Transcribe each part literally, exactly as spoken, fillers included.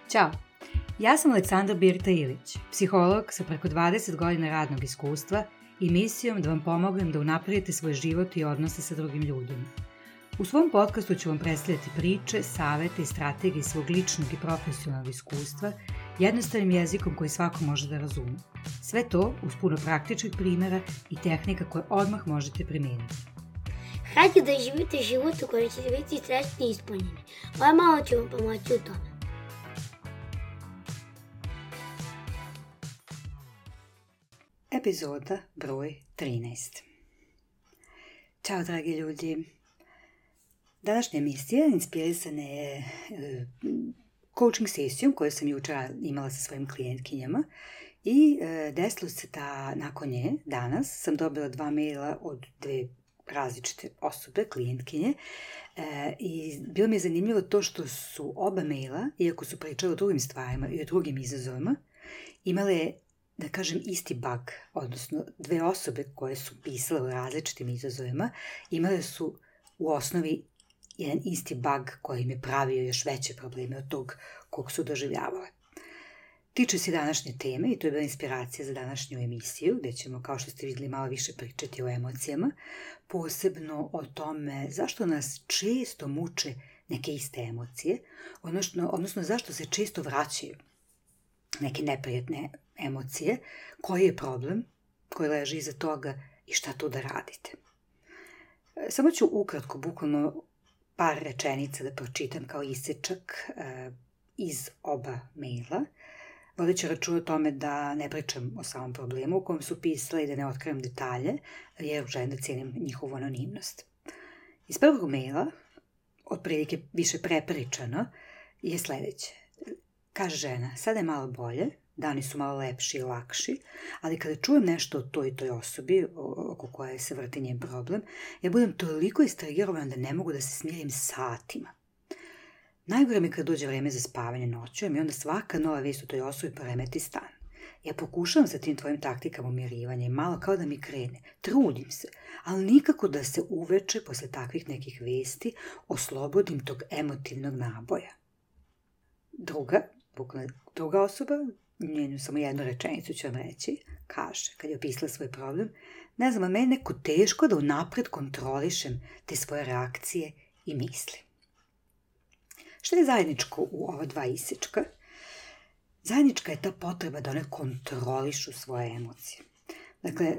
Ćao, ja sam Aleksandra Birta Ilić, psiholog sa preko dvadeset godina radnog iskustva i misijom da vam pomognem da unapredite svoj život i odnose sa drugim ljudima. U svom podcastu ću vam predstavljati priče, savete i strategije svog ličnog i profesionalnog iskustva jednostavnim jezikom koji svako može da razume. Sve to uz puno praktičnih primjera i tehnika koje odmah možete primijeniti. Hajde da živite život u kojem ćete biti srećni i ispunjeni. Ovo malo ću vam pomoći u tome. Epizoda broj trinaest. Ćao dragi ljudi. Današnja emisija inspirisana je coaching sesijom koju sam jučer imala sa svojim klijentkinjama i desilo se da nakon nje danas sam dobila dva maila od dve različite osobe, klijentkinje, e, i bilo mi je zanimljivo to što su oba maila, iako su pričali o drugim stvarima i o drugim izazovima, imale, da kažem, isti bug, odnosno dve osobe koje su pisale o različitim izazovima, imale su u osnovi jedan isti bug koji im je pravio još veće probleme od tog kog su doživljavale. Tiče se današnje teme i to je bila inspiracija za današnju emisiju, gdje ćemo, kao što ste vidjeli, malo više pričati o emocijama, posebno o tome zašto nas često muče neke iste emocije, odnosno, odnosno zašto se često vraćaju neke neprijatne emocije, koji je problem, koji leži iza toga i šta tu da radite. Samo ću ukratko, bukvalno par rečenica da pročitam kao isečak e, iz oba maila, vodeći računa o tome da ne pričam o samom problemu u kojem su pisali i da ne otkrivam detalje, jer želim da cijenim njihovu anonimnost. Iz prvog maila, otprilike više prepričano, je sljedeće. Kaže žena, sada je malo bolje, dani su malo lepši i lakši, ali kada čujem nešto o toj i toj osobi, oko koje se vrti njen problem, ja budem toliko istrigirana da ne mogu da se smirim satima. Najgore mi kad dođe vreme za spavanje noću, i onda svaka nova vijest o toj osobi poremeti stan. Ja pokušavam sa tim tvojim taktikama umirivanja i malo kao da mi krene. Trudim se, ali nikako da se uveče posle takvih nekih vijesti oslobodim tog emotivnog naboja. Druga, bukvalno druga osoba, njenu samo jednu rečenicu ću vam reći, kaže, kad je opisala svoj problem, ne znam, a meni neko teško da unapred kontrolišem te svoje reakcije i misli. Što je zajedničko u ova dva isečka? Zajednička je ta potreba da one kontrolišu svoje emocije. Dakle,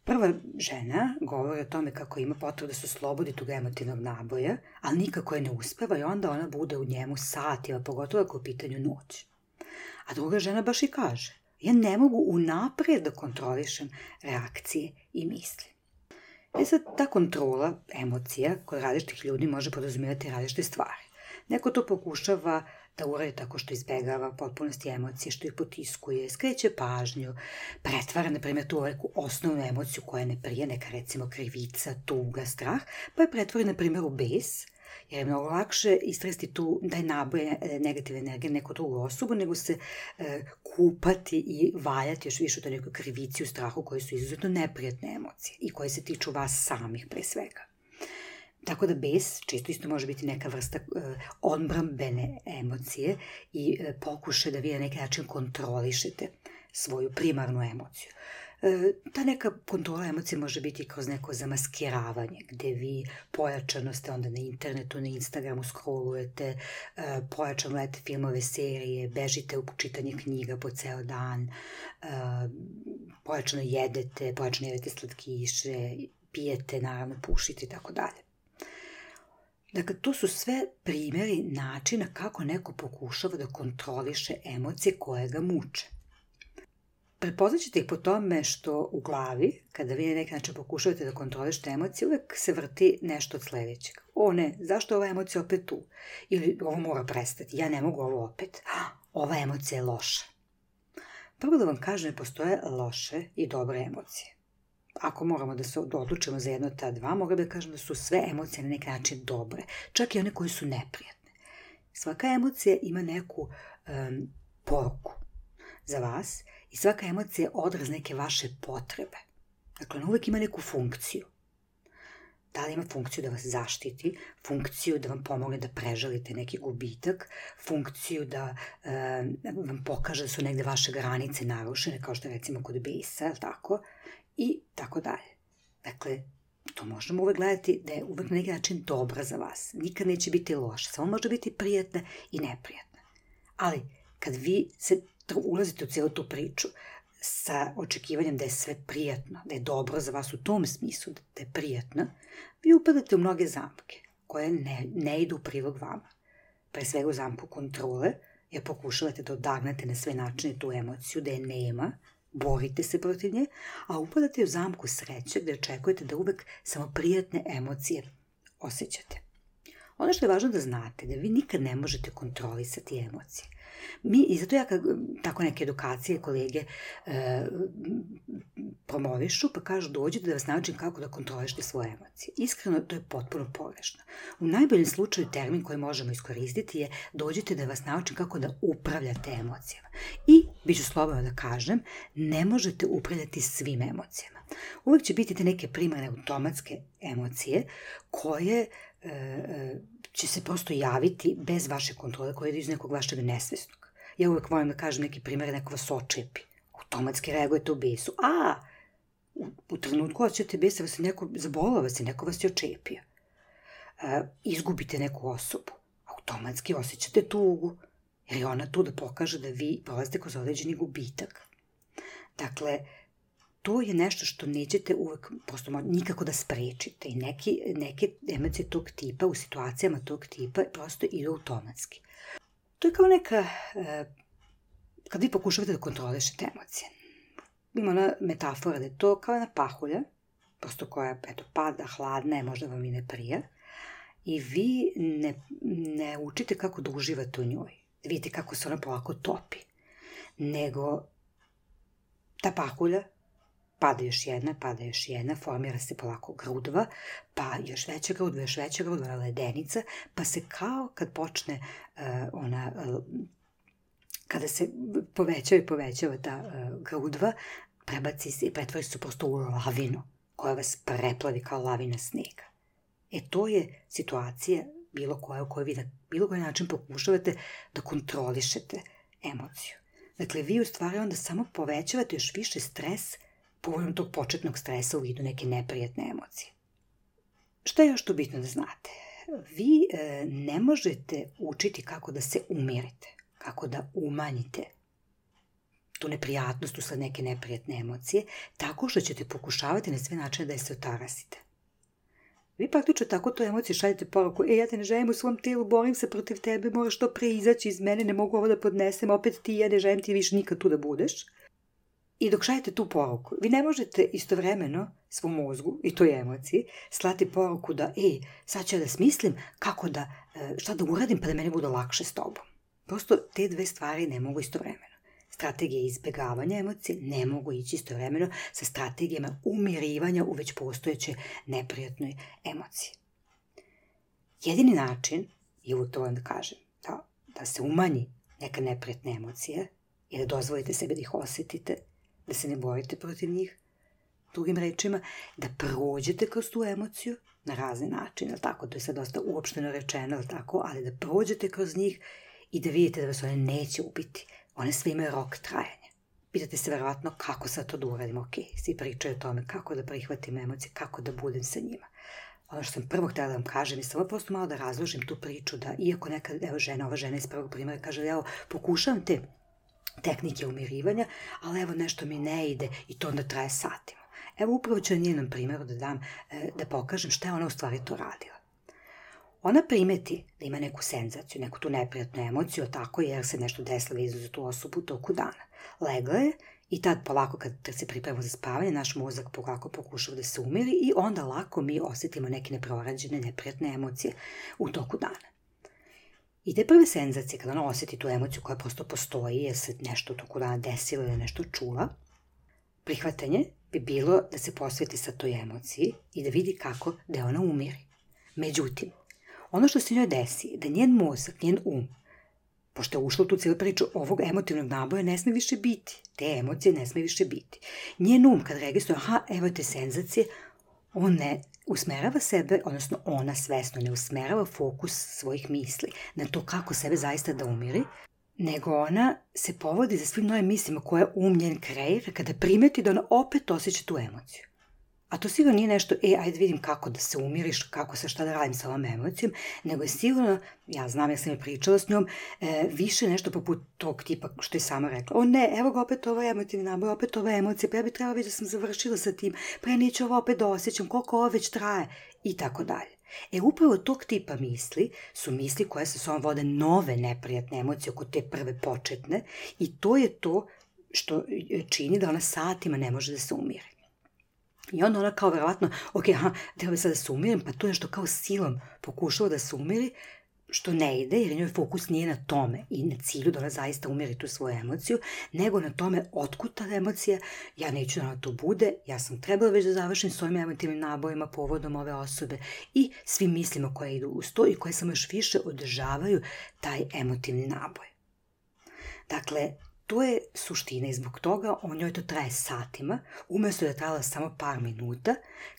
prva žena govori o tome kako ima potrebu da se oslobodi tog emotivnog naboja, ali nikako je ne uspeva i onda ona bude u njemu satima, pogotovo ako je u pitanju noć. A druga žena baš i kaže, ja ne mogu unaprijed da kontrolišem reakcije i misli. E sad, ta kontrola emocija kod različitih ljudi može podrazumijevati različite stvari. Neko to pokušava da uradi tako što izbegava potpunosti emocije, što ih potiskuje, skreće pažnju, pretvara, na primjer, tu neku osnovnu emociju koja ne prije, neka recimo krivica, tuga, strah, pa je pretvori, na primjer, u bes, jer je mnogo lakše istresti tu taj naboj negativne energije neku drugu osobu, nego se e, kupati i valjati još više u toj nekoj krivici, u strahu, koji su izuzetno neprijatne emocije i koje se tiču vas samih pre svega. Tako da bes često isto može biti neka vrsta e, odbrambene emocije i e, pokušaj da vi na neki način kontrolišete svoju primarnu emociju. E, ta neka kontrola emocije može biti kroz neko zamaskiravanje, gdje vi pojačano ste onda na internetu, na Instagramu scrollujete, e, pojačano gledate filmove, serije, bežite u čitanje knjiga po ceo dan, e, pojačano jedete, pojačano jedete slatkiše, pijete, naravno pušite i tako dalje. Dakle, to su sve primjeri načina kako neko pokušava da kontroliše emocije koje ga muče. Prepoznat ćete ih po tome što u glavi, kada vi na neki način pokušavate da kontrolišete emocije, uvek se vrti nešto od sljedećeg. O ne, zašto je ova emocija opet tu? Ili ovo mora prestati, ja ne mogu ovo opet. Ova emocija je loša. Prvo da vam kažem, ne postoje loše i dobre emocije. Ako moramo da se odlučimo za jedno od ta dva, mogu da kažem da su sve emocije na neki način dobre, čak i one koje su neprijatne. Svaka emocija ima neku um, poruku za vas i svaka emocija je odraz neke vaše potrebe. Dakle, ona uvijek ima neku funkciju. Da li ima funkciju da vas zaštiti, funkciju da vam pomogne da prežalite neki gubitak, funkciju da e, vam pokaže da su negde vaše granice narušene, kao što je recimo kod bisa, ili tako, i tako dalje. Dakle, to možemo uvek gledati da je uvek na neki način dobra za vas. Nikad neće biti loša, samo može biti prijatna i neprijatna. Ali, kad vi se ulazite u cijelu tu priču sa očekivanjem da je sve prijatno, da je dobro za vas u tom smislu, da je prijatno, vi upadate u mnoge zamke koje ne, ne idu u prilog vama. Pre svega u zamku kontrole, jer pokušavate da odagnate na sve načine tu emociju, da je nema, borite se protiv nje, a upadate u zamku sreće gde očekujete da uvek samo prijatne emocije osjećate. Ono što je važno da znate, da vi nikad ne možete kontrolisati emocije. Mi, i zato ja kad tako neke edukacije kolege e, promovišu, pa kažu dođite da vas naučim kako da kontrolišete svoje emocije. Iskreno, to je potpuno pogrešno. U najboljem slučaju termin koji možemo iskoristiti je dođite da vas naučim kako da upravljate emocijama. I, bit ću slobodno da kažem, ne možete upravljati svim emocijama. Uvek će biti te neke primarne automatske emocije koje e, e, će se prosto javiti bez vaše kontrole, koje idu iz nekog vašeg nesvesnog. Ja uvek volim da kažem neki primjer, neko vas očepi. Automatski reagujete u besu. A, u, u trenutku osjećate besa, vas je neko, zabolao vas je, neko vas je očepio. E, izgubite neku osobu. Automatski osjećate tugu, jer je ona tu da pokaže da vi prolazite kroz određeni gubitak. Dakle, to je nešto što nećete uvek prosto nikako da sprečite i neki, neke emocije tog tipa u situacijama tog tipa prosto idu automatski. To je kao neka, e, kad vi pokušavate da kontrolišete emocije. Ima ona metafora da je to kao jedna pahulja, prosto koja eto, pada, hladna je, možda vam i ne prija, i vi ne, ne učite kako da uživate u njoj. Vidite kako se ona polako topi. Nego ta pahulja pada još jedna, pada još jedna, formira se polako grudva, pa još veća grudva, još veća grudva, ledenica, pa se kao kad počne uh, ona, uh, kada se povećava i povećava ta uh, grudva, prebaci se i pretvori se prosto u lavinu, koja vas preplavi kao lavina snega. E to je situacija bilo koja u kojoj vi na bilo koji način pokušavate da kontrolišete emociju. Dakle, vi u stvari onda samo povećavate još više stres povodom tog početnog stresa u vidu neke neprijatne emocije. Šta je još tu bitno da znate? Vi e, ne možete učiti kako da se umirite, kako da umanjite tu neprijatnost usled neke neprijatne emocije, tako što ćete pokušavati na sve načine da je se otarasite. Vi praktično tako to emocije šaljete poruku, e, ja te ne želim u svom tijelu, borim se protiv tebe, moraš to pre izaći iz mene, ne mogu ovo da podnesem, opet ti, ja ne želim ti više nikad tu da budeš. I dok šaljete tu poruku, vi ne možete istovremeno svom mozgu i toj emociji slati poruku da, e, sad ću ja da smislim kako da, šta da uradim pa da meni bude lakše s tobom. Prosto te dve stvari ne mogu istovremeno. Strategije izbjegavanja emocije ne mogu ići istovremeno sa strategijama umirivanja u već postojeće neprijatnoj emociji. Jedini način, i uvijek to volim da kažem, da, da se umanji neka neprijatna emocija i da dozvolite sebi da ih osjetite, da se ne borite protiv njih, drugim rečima, da prođete kroz tu emociju na razne načine, tako, to je sad dosta uopšteno rečeno, tako, ali da prođete kroz njih i da vidite da vas one neće ubiti. One sve imaju rok trajanja. Pitate se verovatno kako sad to da uradim, ok, svi pričaju o tome kako da prihvatim emocije, kako da budem sa njima. Ono što sam prvo htjela da vam kažem je samo prosto malo da razložim tu priču, da iako nekad, evo žena, ova žena iz prvog primjera kaže, evo, pokušavam te tehnike umirivanja, ali evo nešto mi ne ide i to onda traje satima. Evo upravo ću na njenom primjeru da dam, da pokažem šta je ona u stvari to radila. Ona primeti da ima neku senzaciju, neku tu neprijatnu emociju, tako jer se nešto desilo vezano za tu osobu u toku dana. Legla je i tad polako kad se pripremamo za spavanje, naš mozak polako pokušava da se umiri i onda lako mi osjetimo neke neprorađene, neprijatne emocije u toku dana. I te prve senzacije, kada ona osjeti tu emociju koja prosto postoji, jer se nešto u toku dana desilo ili nešto čula, prihvatanje bi bilo da se posveti sa toj emociji i da vidi kako da ona umiri. Međutim, ono što se njoj desi je da njen mozak, njen um, pošto je ušla u tu cijelu priču ovog emotivnog naboja, ne sme više biti. Te emocije ne sme više biti. Njen um, kad registruje, aha, evo te senzacije, on ne, usmerava sebe, odnosno ona svesno ne usmerava fokus svojih misli na to kako sebe zaista da umiri, nego ona se povodi za svim novim mislima koje um njen kreira kada primeti da ona opet osjeća tu emociju. A to sigurno nije nešto, e, ajde vidim kako da se umiriš, kako se šta da radim sa ovom emocijom, nego je sigurno, ja znam, ja sam je pričala s njom, e, više nešto poput tog tipa što je sama rekla. O ne, evo ga opet ovo emotivni naboj, opet ova emocija, pa ja bi trebala već da sam završila sa tim, pa ja neću ovo opet da osjećam, koliko ovo već traje, i tako dalje. E, upravo tog tipa misli su misli koje sa sobom vode nove neprijatne emocije oko te prve početne i to je to što čini da ona satima ne može da se umiri. I onda ona kao verovatno, ok, aha, treba sad da se umirim, pa to je što kao silom pokušava da se umiri, što ne ide, jer njoj fokus nije na tome i na cilju da ona zaista umiri tu svoju emociju, nego na tome otkud ta emocija, ja neću da ona to bude, ja sam trebala već da završim s ovim emotivnim nabojima povodom ove osobe i svim mislima koje idu uz to i koje samo još više održavaju taj emotivni naboj. Dakle, to je suština i zbog toga o njoj to traje satima, umjesto da je trajala samo par minuta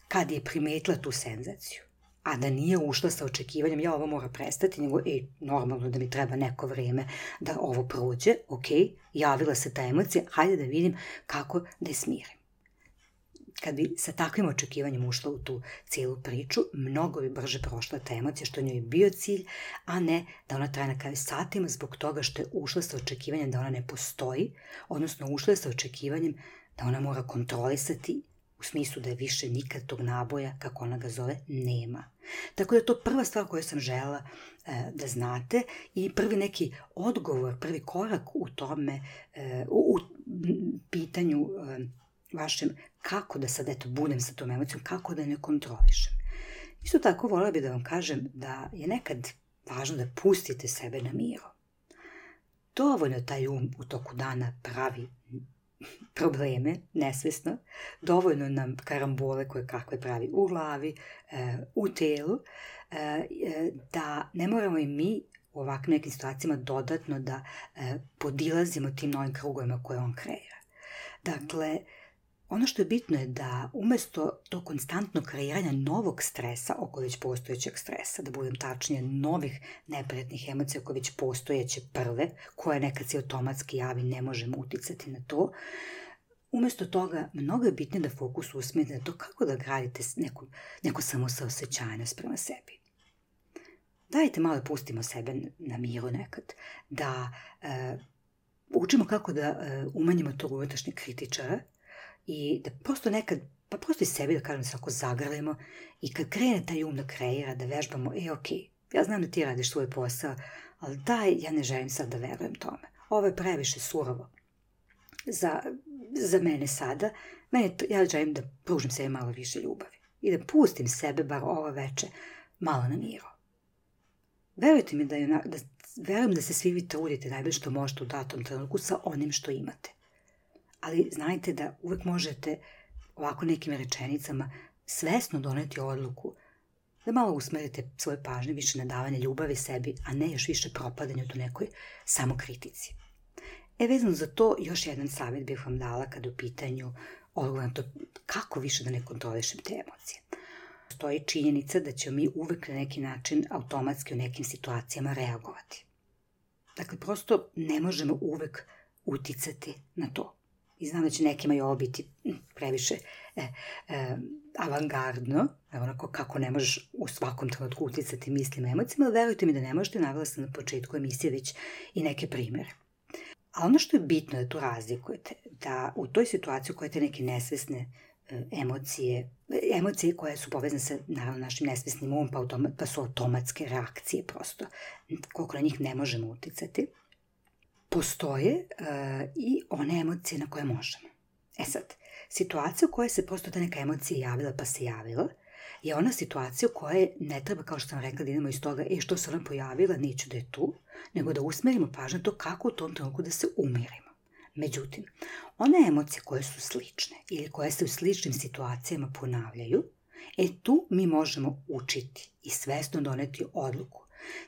kad je primetila tu senzaciju. A da nije ušla sa očekivanjem, ja ovo mora prestati, nego e, normalno da mi treba neko vrijeme da ovo prođe, ok, javila se ta emocija, hajde da vidim kako da je smirim. Kad bi sa takvim očekivanjem ušla u tu cijelu priču, mnogo bi brže prošla ta emocija, što njoj je bio cilj, a ne da ona traje na kraju satima zbog toga što je ušla sa očekivanjem da ona ne postoji, odnosno ušla je sa očekivanjem da ona mora kontrolisati u smislu da je više nikad tog naboja, kako ona ga zove, nema. Tako da je to prva stvar koju sam želela e, da znate i prvi neki odgovor, prvi korak u tome, e, u, u pitanju e, vašem kako da sad eto budem sa tom emocijom, kako da ne kontrolišem. Isto tako voljela bih da vam kažem da je nekad važno da pustite sebe na miru. Dovoljno taj um u toku dana pravi probleme, nesvesno, dovoljno nam karambole koje kakve pravi u glavi, u telu, da ne moramo i mi u ovakvim nekim situacijama dodatno da podilazimo tim novim krugovima koje on kreira. Dakle, ono što je bitno je da umjesto to konstantno kreiranja novog stresa oko već postojećeg stresa, da budem tačnije novih neprijatnih emocija koje već postojeće prve, koje nekad se automatski javi, ne možemo uticati na to, umjesto toga mnogo je bitnije da fokus usmjerite na to kako da gradite neku, neku samosaosećajnost prema sebi. Dajte malo pustimo sebe na miru nekad, da e, učimo kako da e, umanjimo tog unutrašnjeg kritičara, i da prosto nekad, pa prosto i sebi da kažem se ako zagrlimo i kad krene taj um da kreira, da vežbamo, e ok, ja znam da ti radiš svoj posao, ali daj, ja ne želim sad da verujem tome. Ovo je previše surovo za, za mene sada, mene, ja želim da pružim sebi malo više ljubavi i da pustim sebe bar ovo veče malo na miru. Verujte mi da, je, da verujem da se svi vi trudite najbolje što možete u datom trenutku sa onim što imate. Ali znajte da uvijek možete ovako nekim rečenicama svesno doneti odluku da malo usmerite svoje pažnje više na davanje ljubavi sebi, a ne još više propadanju do nekoj samokritici. E, vezano za to, još jedan savjet bih vam dala kada u pitanju odgovor na to kako više da ne kontrolišem te emocije. Postoji činjenica da ćemo mi uvijek na neki način automatski u nekim situacijama reagovati. Dakle, prosto ne možemo uvijek uticati na to. I znam da će nekima i ovo biti previše e, e, avangardno, onako kako ne možeš u svakom trenutku uticati mislima i emocijama, ali verujte mi da ne možete, navela sam na početku emisije već i neke primjere. A ono što je bitno da tu razlikujete, da u toj situaciji u kojoj te neke nesvesne e, emocije, emocije koje su povezane sa naravno našim nesvesnim umom, pa, automa, pa su automatske reakcije prosto, koliko na njih ne možemo uticati, postoje uh, i one emocije na koje možemo. E sad, situacija u kojoj se prosto ta neka emocija javila pa se javila, je ona situacija u kojoj ne treba, kao što sam rekla, da idemo iz toga, e što se ona pojavila, neću da je tu, nego da usmerimo pažnju to kako u tom trenutku da se umirimo. Međutim, one emocije koje su slične ili koje se u sličnim situacijama ponavljaju, e tu mi možemo učiti i svesno doneti odluku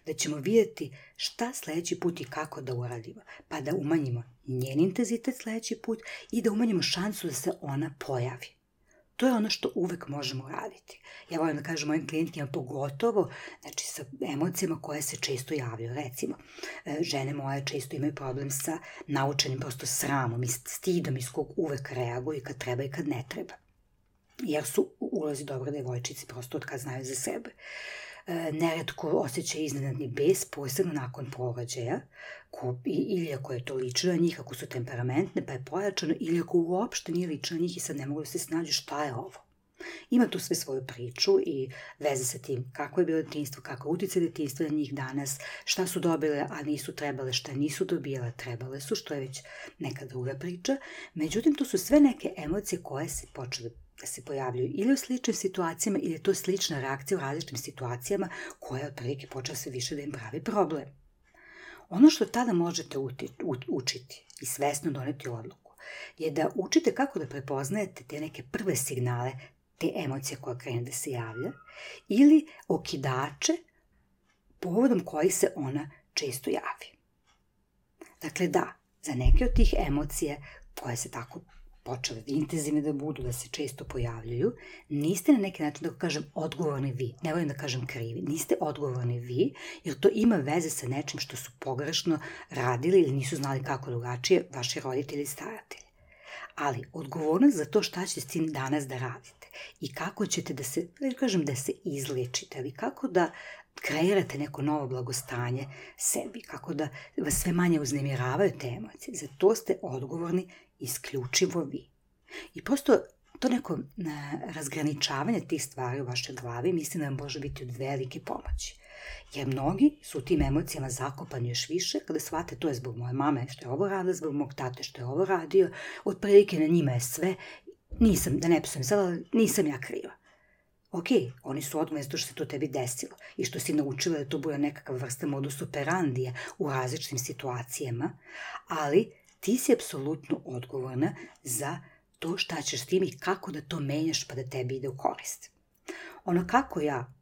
da ćemo vidjeti šta sljedeći put i kako da uradimo, pa da umanjimo njen intenzitet sljedeći put i da umanjimo šansu da se ona pojavi. To je ono što uvek možemo raditi. Ja volim da kažem mojim klijentima pogotovo, znači sa emocijama koje se često javljaju. Recimo, žene moje često imaju problem sa naučenim prosto sramom i stidom iz kog uvek reaguju kad treba i kad ne treba. Jer su u ulozi dobre devojčice prosto od kad znaju za sebe. Neretko osjećaju iznenadni bes, posebno nakon porođaja, ko, ili ako je to lično na njih, ako su temperamentne pa je pojačano, ili ako uopšte nije lično na njih i sad ne mogu da se snađu šta je ovo. Ima tu sve svoju priču i veze sa tim kako je bilo detinjstvo, kako je uticaj detinjstva na njih danas, šta su dobile, a nisu trebale, šta nisu dobile, trebale su, što je već neka druga priča. Međutim, to su sve neke emocije koje se počele da se pojavljaju ili u sličnim situacijama ili je to slična reakcija u različitim situacijama koja je otprilike počela sve više da im pravi problem. Ono što tada možete učiti i svesno doneti odluku je da učite kako da prepoznajete te neke prve signale, te emocije koje krene da se javlja ili okidače povodom kojih se ona često javi. Dakle da, za neke od tih emocija koje se tako počele intenzivne da budu, da se često pojavljaju, niste na neki način, da kažem, odgovorni vi. Ne volim da kažem krivi. Niste odgovorni vi, jer to ima veze sa nečim što su pogrešno radili ili nisu znali kako drugačije vaši roditelji i staratelji. Ali odgovornost za to šta ćete s tim danas da radite i kako ćete da se, da kažem, da se izlečite, ali kako da kreirate neko novo blagostanje sebi, kako da vas sve manje uznemiravaju te emocije. Za to ste odgovorni isključivo vi. I prosto to neko razgraničavanje tih stvari u vašoj glavi mislim da vam može biti od velike pomoći. Jer mnogi su u tim emocijama zakopani još više kada shvate to je zbog moje mame što je ovo radila, zbog mog tate što je ovo radio, otprilike na njima je sve, nisam, da ne psujem sada, nisam ja kriva. Ok, oni su odgovorni zato što se to tebi desilo i što si naučila da to bude nekakva vrsta modus operandija u različitim situacijama, ali ti si apsolutno odgovorna za to šta ćeš s tim i kako da to menjaš pa da tebi ide u korist. Ono kako ja,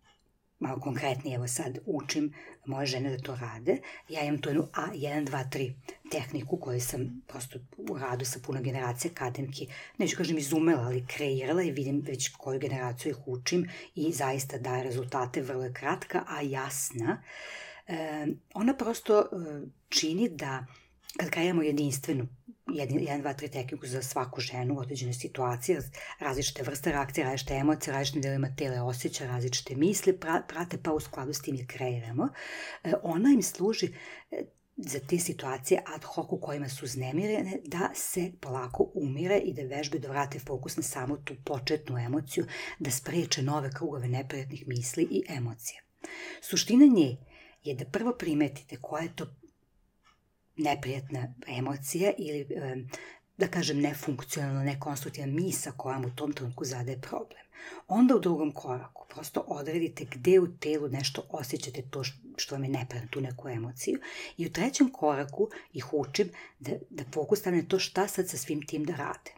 malo konkretnije, evo sad učim moje žene da to rade, ja imam tu jednu A jedan dva tri tehniku koju sam prosto u radu sa puno generacije akademki, neću kažem izumela, ali kreirala i vidim već koju generaciju ih učim i zaista daje rezultate, vrlo je kratka, a jasna. E, ona prosto e, čini da kad kreiramo jedinstvenu jedan, dva, tri tehniku za svaku ženu u određenoj situaciji, različite vrste reakcije, različite emocije, različite delima tela osjeća, različite misli, prate pa u skladu s tim je kreiramo. Ona im služi za te situacije ad hoc u kojima su uznemirene da se polako umire i da vežbe da vrate fokus na samo tu početnu emociju, da spreče nove krugove neprijatnih misli i emocija. Suština nje je da prvo primetite koja je to neprijatna emocija ili, da kažem, nefunkcionalna, nekonstruktivna misa koja vam u tom trenutku zadaje problem. Onda u drugom koraku prosto odredite gde u telu nešto osjećate to što vam je neprijatno, tu neku emociju. I u trećem koraku ih učim da, da fokus stavne to šta sad sa svim tim da rade.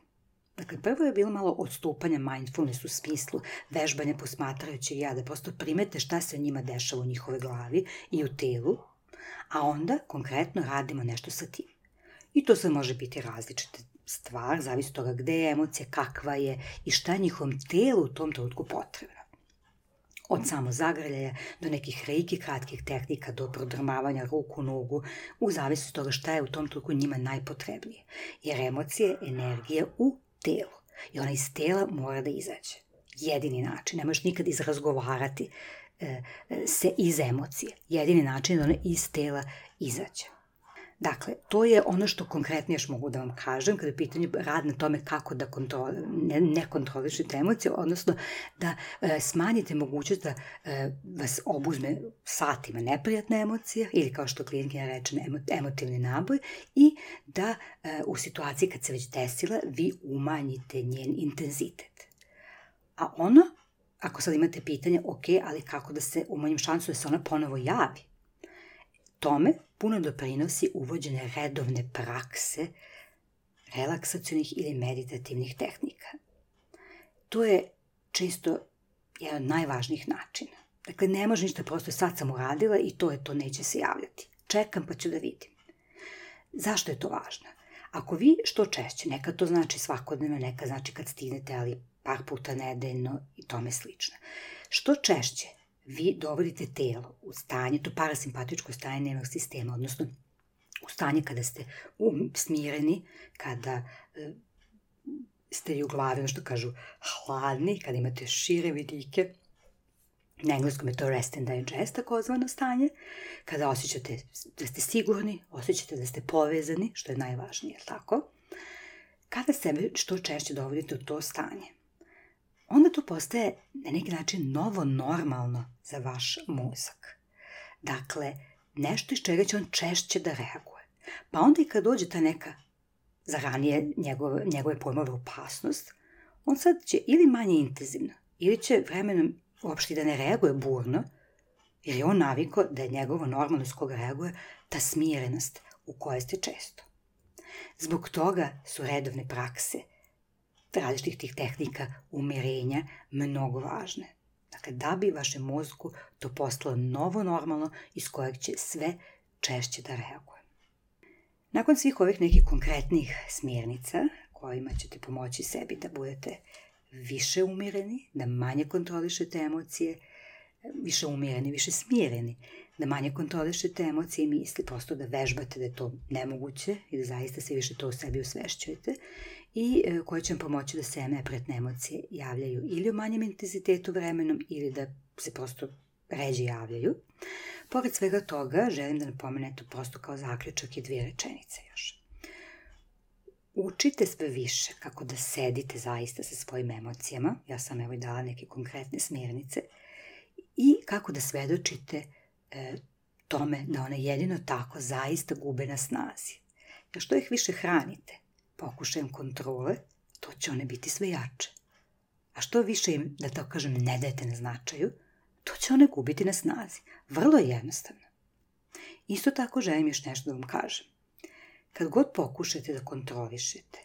Dakle, prvo je bilo malo odstupanja mindfulness u smislu vežbanja posmatrajućeg ja, da prosto primete šta se njima dešava u njihove glavi i u telu, a onda konkretno radimo nešto sa tim. I to sve može biti različite stvar, zavisi od toga gde je emocija, kakva je i šta je njihovom telu u tom trenutku potrebno. Od samozagrljaja do nekih reiki kratkih tehnika, do prodrmavanja ruku, nogu, u zavisnosti od toga šta je u tom trenutku njima najpotrebnije. Jer emocija je energija u telu i ona iz tela mora da izađe. Jedini način, ne možeš nikad izrazgovarati se iz emocije. Jedini način je da ona iz tela izađe. Dakle, to je ono što konkretno još mogu da vam kažem kada je pitanje rad na tome kako da kontrol, ne, ne kontrolišete emocije, odnosno da e, smanjite mogućnost da e, vas obuzme satima neprijatna emocija ili kao što klijentkinja reče emo, emotivni naboj i da e, u situaciji kad se već desila vi umanjite njen intenzitet. A ono, ako sad imate pitanje, ok, ali kako da se umanjim šansu da se ona ponovo javi? Tome puno doprinosi uvođenje redovne prakse relaksacionih ili meditativnih tehnika. To je često jedan od najvažnijih načina. Dakle, ne može ništa, prosto sad sam uradila i to je to, neće se javljati. Čekam pa ću da vidim. Zašto je to važno? Ako vi što češće, nekad to znači svakodnevno, nekad znači kad stignete, ali par puta nedeljno i tome slično. Što češće vi dovodite telo u stanje, to parasimpatičko stanje nervnog sistema, odnosno u stanje kada ste um, smireni, kada e, ste i u glavi, ono što kažu, hladni, kada imate šire vidike, na engleskom je to rest and digest, takozvano stanje, kada osjećate da ste sigurni, osjećate da ste povezani, što je najvažnije, tako? Kada sebe što češće dovodite u to stanje, onda to postaje na neki način novo normalno za vaš mozak. Dakle, nešto iz čega će on češće da reaguje. Pa onda i kad dođe ta neka za ranije njegove, njegove pojmove opasnost, on sad će ili manje intenzivno, ili će vremenom uopšte da ne reaguje burno, jer je on navikao da je njegovo normalno s koga reaguje ta smirenost u kojoj ste često. Zbog toga su redovne prakse različitih tih tehnika umirenja mnogo važne. Dakle, da bi vašem mozgu to postalo novo normalno iz kojeg će sve češće da reaguje. Nakon svih ovih nekih konkretnih smjernica kojima ćete pomoći sebi da budete više umireni, da manje kontrolišete emocije, više umireni, više smireni, da manje kontrolišete emocije i misli, prosto da vežbate da je to nemoguće i da zaista se više to u sebi usvešćujete i koje će vam pomoći da se neprijatne emocije javljaju ili u manjem intenzitetu vremenom ili da se prosto ređe javljaju. Pored svega toga, želim da napomenem to prosto kao zaključak i dvije rečenice još. Učite sve više kako da sedite zaista sa svojim emocijama, ja sam evo i dala neke konkretne smjernice, i kako da svedočite e, tome da one jedino tako zaista gube na snazi. Jer što ih više hranite pokušajem kontrole, to će one biti sve jače. A što više im, da tako kažem, ne dajete na značaju, to će one gubiti na snazi. Vrlo je jednostavno. Isto tako želim još nešto da vam kažem. Kad god pokušate da kontrolišete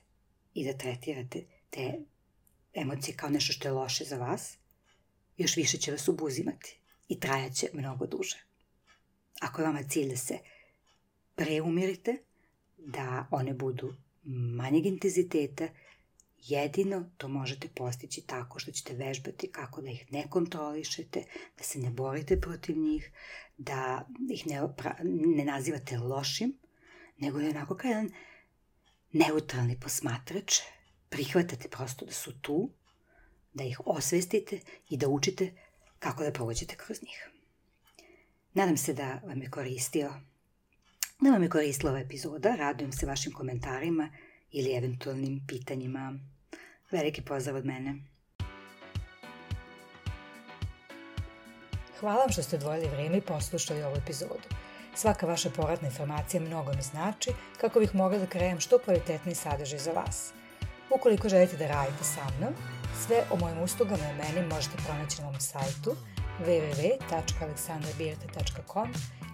i da tretirate te emocije kao nešto što je loše za vas, još više će vas obuzimati i trajaće mnogo duže. Ako je vama cilj da se preumirite, da one budu manjeg intenziteta, jedino to možete postići tako što ćete vežbati kako da ih ne kontrolišete, da se ne borite protiv njih, da ih ne, ne nazivate lošim, nego je onako kao jedan neutralni posmatrač, prihvatate prosto da su tu, da ih osvestite i da učite kako da prođete kroz njih. Nadam se da vam je koristio, da vam je koristila ova epizoda, radujem se vašim komentarima ili eventualnim pitanjima. Veliki pozdrav od mene. Hvala vam što ste odvojili vrijeme i poslušali ovu epizodu. Svaka vaša povratna informacija mnogo mi znači kako bih mogla da krenem što kvalitetniji sadržaj za vas. Ukoliko želite da radite sa mnom, sve o mojim uslugama i meni možete pronaći na mom sajtu w w w tačka aleksandra birta tačka com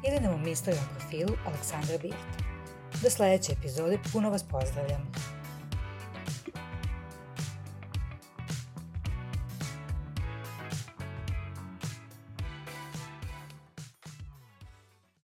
ili na mom Instagram profilu Aleksandra Birta. Do sljedeće epizode puno vas pozdravljam.